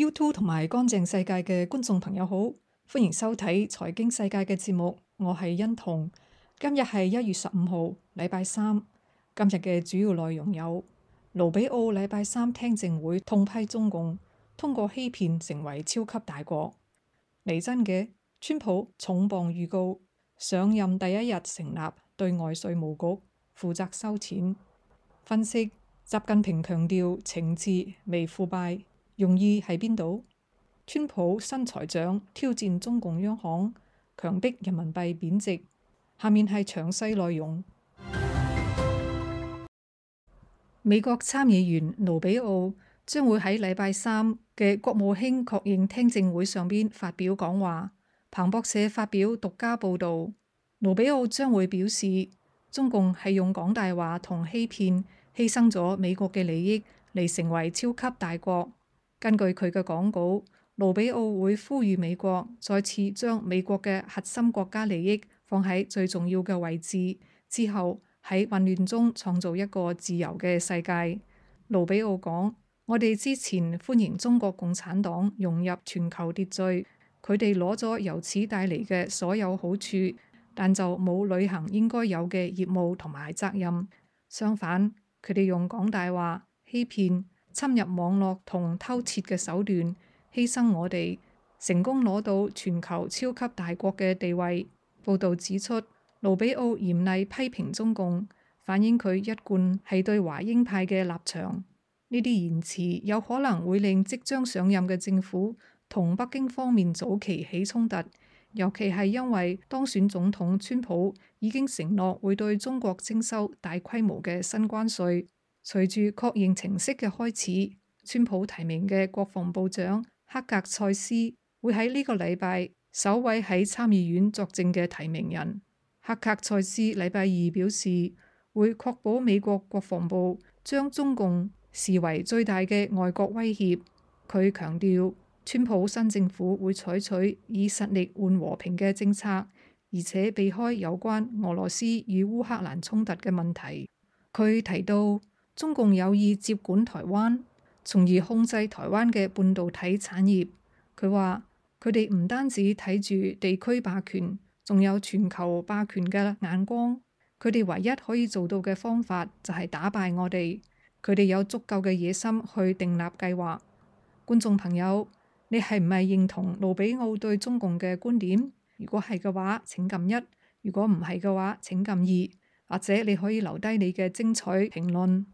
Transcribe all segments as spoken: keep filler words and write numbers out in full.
YouTube 同埋乾淨世界嘅觀眾朋友好，歡迎收睇財經世界嘅節目，我係欣彤。今日係一月十五號，禮拜三。今日嘅主要內容有：盧比奧禮拜三聽證會痛批中共通過欺騙成為超級大國。嚟真嘅，川普重磅預告上任第一日成立對外稅務局，負責收錢。分析習近平強調懲治未腐敗。用意喺邊度？川普新財長挑戰中共央行，強迫人民幣貶值。下面係詳細內容。美國參議員盧比奧將會喺禮拜三嘅國務卿確認聽證會上邊發表講話。彭博社發表獨家報導，盧比奧將會表示，中共係用講大話同欺騙，犧牲咗美國嘅利益嚟成為超級大國。根據佢嘅講稿，盧比奧會呼籲美國再次將美國嘅核心國家利益放喺最重要嘅位置，之後喺混亂中創造一個自由嘅世界。盧比奧講：我哋之前歡迎中國共產黨融入全球秩序，佢哋攞咗由此帶嚟嘅所有好處，但就冇履行應該有嘅業務同埋責任。相反，佢哋用講大話、欺騙、侵入網絡同偷竊嘅手段，犧牲我哋，成功攞到全球超級大國嘅地位。報導指出，盧比奧嚴厲批評中共，反映佢一貫係對華鷹派嘅立場。呢啲言辭有可能會令即將上任嘅政府同北京方面早期起衝突，尤其係因為當選總統川普已經承諾會對中國徵收大規模嘅新關稅。隨住確認程式嘅開始，川普提名嘅國防部長克格塞斯會喺呢個禮拜首位喺參議院作證嘅提名人。克格塞斯禮拜二表示，會確保美國國防部將中共視為最大嘅外國威脅。佢強調，川普新政府會採取以實力換和平嘅政策，而且避開有關俄羅斯與烏克蘭衝突嘅問題。佢提到，中共有意接管台灣，從而控制台灣嘅半導體產業。佢話：佢哋唔單止睇住地區霸權，仲有全球霸權嘅眼光。佢哋唯一可以做到嘅方法就係打敗我哋。佢哋有足夠嘅野心去訂立計劃。觀眾朋友，你係唔係認同盧比奧對中共嘅觀點？如果係嘅話，請撳一；如果唔係嘅話，請撳二。或者你可以留低你嘅精彩評論。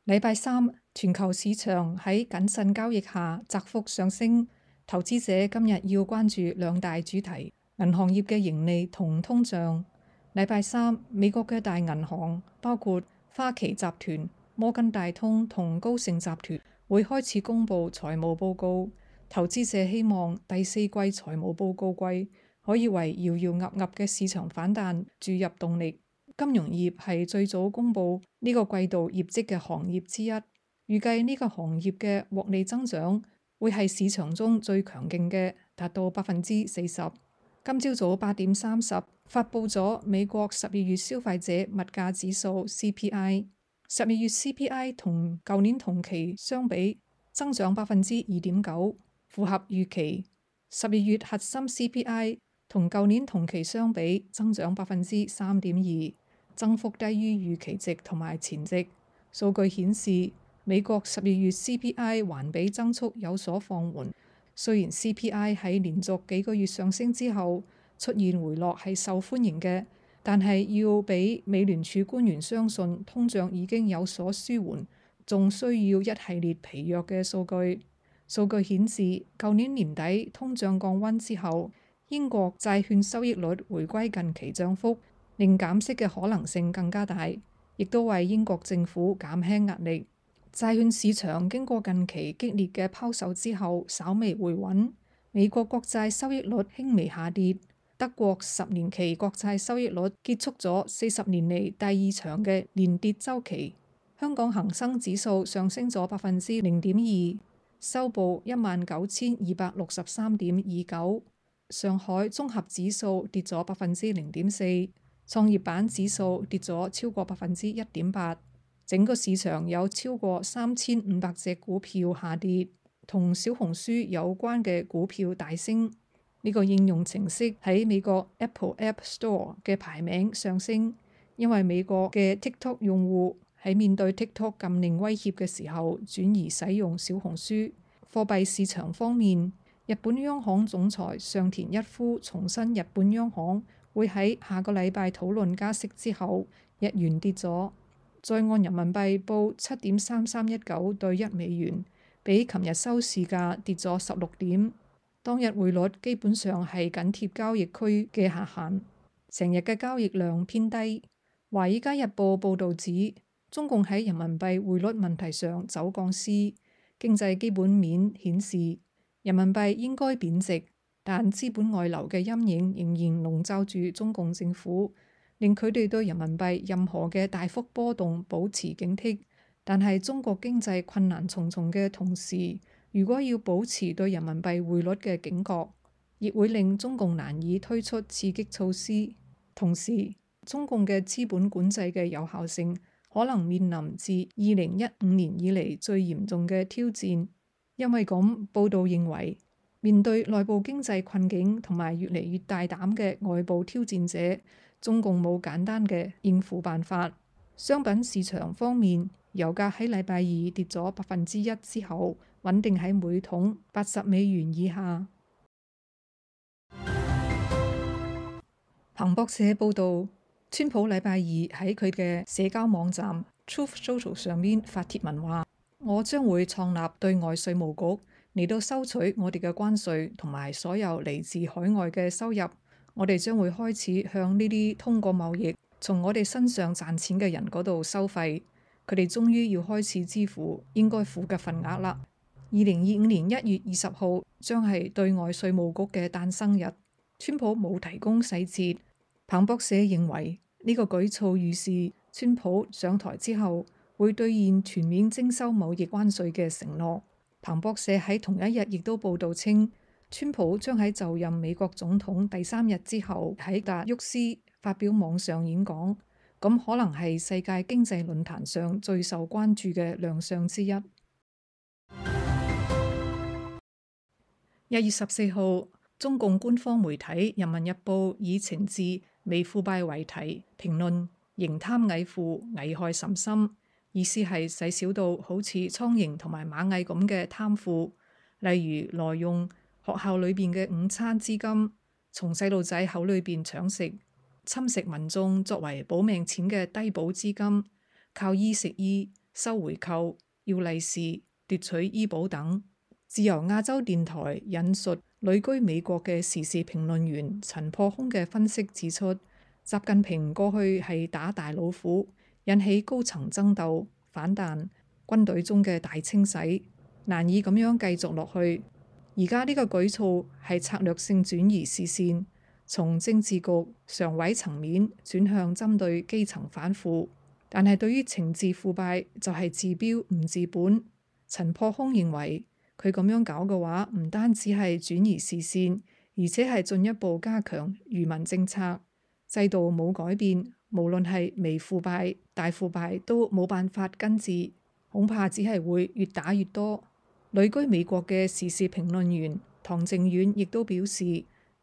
禮拜三，全球市場喺謹慎交易下窄幅上升。投資者今日要關注兩大主題：銀行業嘅盈利同通脹。禮拜三，美國嘅大銀行包括花旗集團、摩根大通同高盛集團會開始公布財務報告。投資者希望第四季財務報告季可以為搖搖岌岌嘅市場反彈注入動力。金融業係最早公布呢個季度業績嘅行業之一，預計呢個行業嘅獲利增長會係市場中最強勁嘅，達到百分之四十。今朝早八點三十發布咗美國十二月消費者物價指數 C P I， 十二月 C P I 同舊年同期相比增長百分之二點九，符合預期。十二月核心 C P I 同舊年同期相比增長百分之三點二，增幅低於預期值同埋前值。數據顯示，美國十二月 C P I 環比增速有所放緩。雖然 C P I 喺連續幾個月上升之後出現回落係受歡迎嘅，但係要俾美聯儲官員相信通脹已經有所舒緩，仲需要一系列疲弱嘅數據。數據顯示，舊年年底通脹降溫之後，英國債券收益率回歸近期漲幅，令減息嘅可能性更加大，亦都為英國政府減輕壓力。債券市場經過近期激烈嘅拋售之後，稍微回穩。美國國債收益率輕微下跌，德國十年期國債收益率結束咗四十年嚟第二長嘅連跌週期。香港恒生指數上升咗百分之零點二，收報一萬九千二百六十三點二九。上海綜合指數跌咗百分之零點四，創業板指數跌咗超過百分之一點八。整個市場有超過三千五百隻股票下跌，同小紅書有關嘅股票大升。呢個應用程式喺美國 Apple App Store 嘅排名上升，因為美國嘅 TikTok 用戶喺面對 TikTok 禁令威脅嘅時候轉移使用小紅書。貨幣市場方面，日本央行總裁上田一夫重申日本央行會喺下個禮拜討論加息之後，日元跌咗，再按人民幣報七點三三一九對一美元，比琴日收市價跌咗十六點。當日匯率基本上係緊貼交易區嘅下限，成日嘅交易量偏低。華爾街日報報導指，中共喺人民幣匯率問題上走鋼絲，經濟基本面顯示人民幣應該貶值，但資本外流嘅陰影仍然籠罩住中共政府，令佢哋對人民幣任何嘅大幅波動保持警惕。但係中國經濟困難重重嘅同時，如果要保持對人民幣匯率嘅警覺，亦會令中共難以推出刺激措施。同時，中共嘅資本管制嘅有效性可能面臨自二零一五年以嚟最嚴重嘅挑戰。因為咁，報道認為，面對內部經濟困境同埋越嚟越大膽嘅外部挑戰者，中共冇簡單嘅應付辦法。商品市場方面，油價喺禮拜二跌咗百分之一之後，穩定喺每桶八十美元以下。彭博社報導，川普禮拜二喺佢嘅社交網站 Truth Social 上面發帖文話：我將會創立對外稅務局，嚟到收取我哋嘅關稅同埋所有嚟自海外嘅收入。我哋將會開始向呢啲通過貿易從我哋身上賺錢嘅人嗰度收費。佢哋終於要開始支付應該付嘅份額啦。二零二五年一月二十號將係對外稅務局嘅誕生日。川普冇提供細節。彭博社認為呢個舉措預示川普上台之後會兌現全面徵收貿易關稅嘅承諾。彭博社喺同一日亦都報導稱，川普將喺就任美國總統第三日之後喺達沃斯發表網上演講，咁可能係世界經濟論壇上最受關注嘅亮相之一。一月十四號，中共官方媒體《人民日報》以懲治微腐敗為題評論刑貪蟻腐危害甚深，意思係細小到好似蒼蠅同埋螞蟻咁嘅貪腐，例如挪用學校裏邊嘅午餐資金，從細路仔口裏邊搶食，侵蝕民眾作為保命錢嘅低保資金，靠醫食醫、收回扣、要利是、奪取醫保等。自由亞洲電台引述旅居美國嘅時事評論員陳破空嘅分析指出，習近平過去係打大老虎，引起高層爭鬥、反彈，軍隊中嘅大清洗，難以咁樣繼續落去。而家呢個舉措係策略性轉移視線，從政治局常委層面轉向針對基層反腐，但係對於懲治腐敗就係治標唔治本。陳破空認為，佢咁樣搞嘅話，唔單止係轉移視線，而且係進一步加強愚民政策。制度冇改變，無論係微腐敗、大腐敗都冇辦法根治，恐怕只係會越打越多。旅居美國嘅時事評論員唐靖遠亦都表示，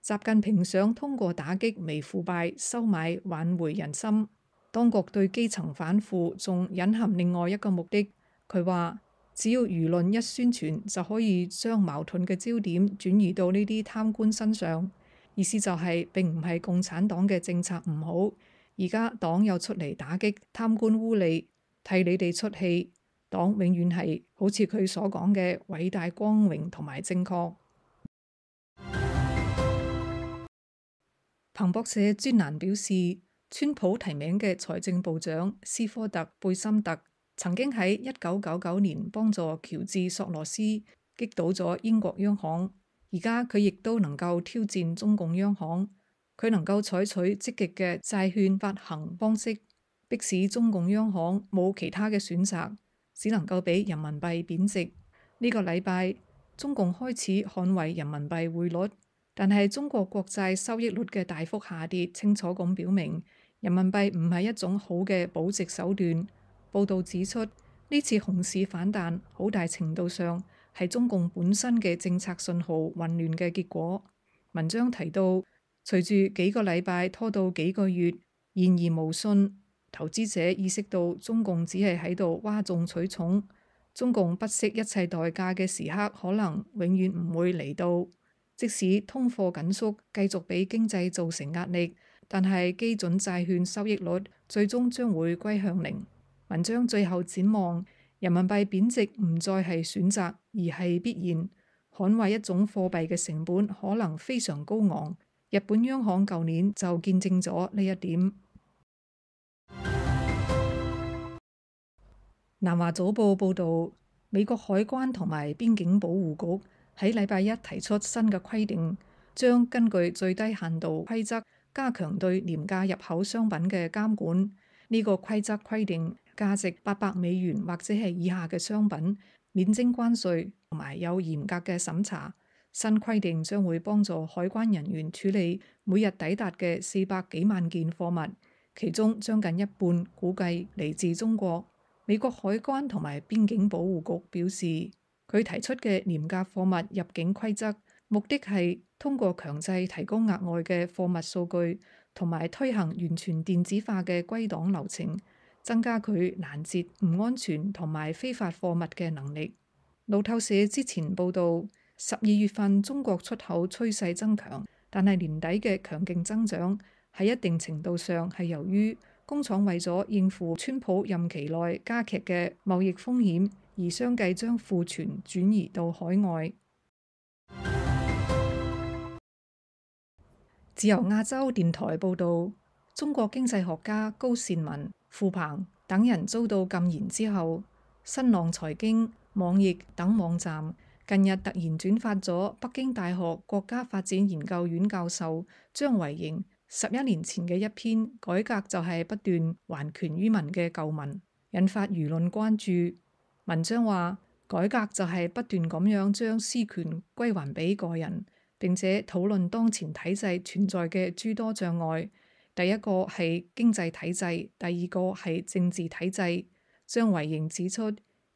習近平想通過打擊微腐敗收買挽回人心。當局對基層反腐仲隱含另外一個目的，佢話，只要輿論一宣傳，就可以將矛盾嘅焦點轉移到呢啲貪官身上。意思就係並唔係共產黨嘅政策唔好，而家黨又出嚟打擊貪官污吏，替你哋出氣。黨永遠係好似佢所講嘅偉大光榮同埋正確。彭博社專欄表示，川普提名嘅財政部長斯科特貝森特曾經喺一九九九年幫助喬治索羅斯擊倒咗英國央行，而家佢亦都能夠挑戰中共央行，佢能夠採取積極嘅債券發行方式，迫使中共央行冇其他嘅選擇，只能夠俾人民幣貶值。呢個禮拜，中共開始捍衛人民幣匯率，但係中國國債收益率嘅大幅下跌，清楚咁表明人民幣唔係一種好嘅保值手段。報導指出，呢次熊市反彈好大程度上係中共本身嘅政策信號混亂嘅結果。文章提到，隨住幾個禮拜拖到幾個月，言而無信，投資者意識到中共只係喺度嘩眾取寵，中共不惜一切代價嘅時刻可能永遠唔會嚟到。即使通貨緊縮繼續俾經濟造成壓力，但係基準債券收益率最終將會歸向零。文章最後展望，人民幣貶值唔再係選擇，而係必然。捍衛一種貨幣嘅成本可能非常高昂。日本央行舊年就見證咗呢一點。南華早報報導，美國海關同埋邊境保護局喺禮拜一提出新嘅規定，將根據最低限度規則加強對廉價入口商品嘅監管。呢個規則規定，價值八百美元或者係以下嘅商品免徵關稅，同埋有嚴格嘅審查。新規定將會幫助海關人員處理每日抵達嘅四百幾萬件貨物，其中將近一半估計嚟自中國。美國海關同埋邊境保護局表示，佢提出嘅廉價貨物入境規則，目的係通過強制提供額外嘅貨物數據，同埋推行完全電子化嘅歸檔流程，增加佢攔截唔安全同埋非法貨物嘅能力。路透社之前報導，十二月份中國出口趨勢增強，但係年底嘅強勁增長喺一定程度上係由於工廠為咗應付川普任期內加劇嘅貿易風險，而相繼將庫存轉移到海外。自由亞洲電台報導，中國經濟學家高善文、傅鵬等人遭到禁言之後，新浪財經、網易等網站近日突然轉發咗北京大學國家發展研究院教授張維迎十一年前嘅一篇改革就係不斷還權於民嘅舊文，引發輿論關注。文章話，改革就係不斷咁樣將私權歸還俾個人，並且討論當前體制存在嘅諸多障礙。第一個係經濟體制，第二個係政治體制。張維迎指出，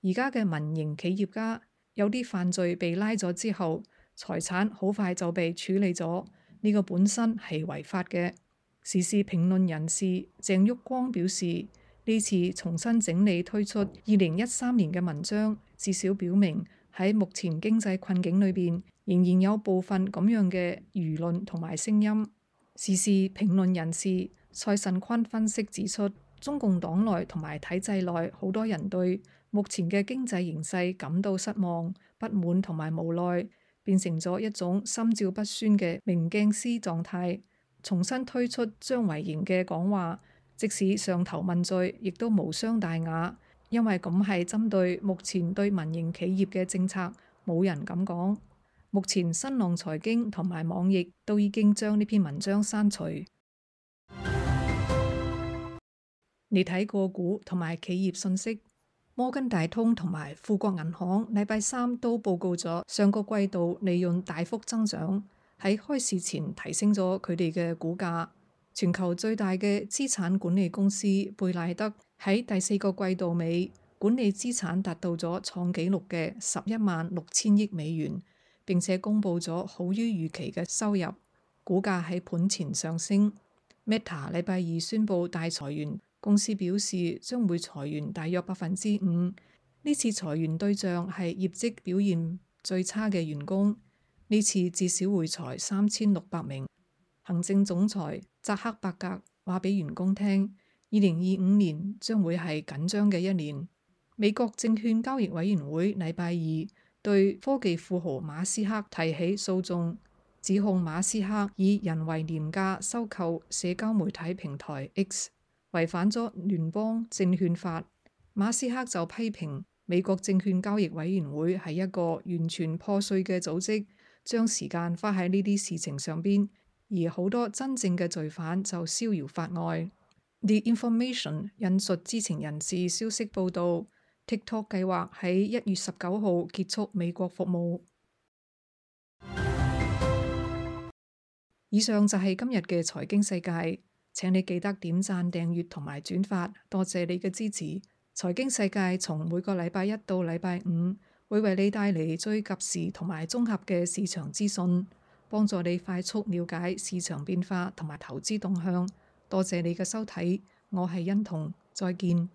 而家嘅民營企業家有啲犯罪被拉咗之後，財產好快就被處理咗，呢個本身係違法嘅。時事評論人士鄭旭光表示，呢次重新整理推出二零一三年嘅文章，至少表明喺目前經濟困境裏邊，仍然有部分咁樣嘅輿論同埋聲音。時事評論人士蔡慎坤分析指出，中共黨內同埋體制內好多人對目前嘅經濟形勢感到失望、不滿同埋無奈，變成咗一種心照不宣嘅明鏡思狀態。重新推出張維迎嘅講話，即使上頭問罪，亦都無傷大雅，因為咁係針對目前對民營企業嘅政策，冇人敢講。目前新浪財經同埋網易都已經將呢篇文章刪除。你睇個股同埋企業信息，摩根大通同埋富國銀行禮拜三都報告咗上個季度利潤大幅增長，喺開市前提升咗佢哋嘅股價。全球最大嘅資產管理公司貝萊德喺第四個季度尾管理資產達到咗創紀錄嘅十一萬六千億美元，並且公布咗好於預期嘅收入，股價喺盤前上升。Meta 禮拜二宣布大裁員。公司表示將會裁員大約百分之五，呢次裁員對象係業績表現最差嘅員工，呢次至少會裁三千六百名。行政總裁扎克伯格話俾員工聽，二零二五年將會係緊張嘅一年。美國證券交易委員會禮拜二對科技富豪馬斯克提起訴訟，指控馬斯克以人為廉價收購社交媒體平台 X，違反咗聯邦證券法。馬斯克就批評美國證券交易委員會係一個完全破碎嘅組織，將時間花喺呢啲事情上邊，而好多真正嘅罪犯就逍遙法外。The Information 引述知情人士消息報道，TikTok 計劃喺一月十九號結束美國服務。以上就係今日嘅財經世界。請你記得點讚、訂閱同埋轉發，多謝你嘅支持。財經世界從每個禮拜一到禮拜五會為你帶嚟最及時同埋綜合嘅市場資訊，幫助你快速了解市場變化同埋投資動向。多謝你嘅收睇，我係欣彤，再見。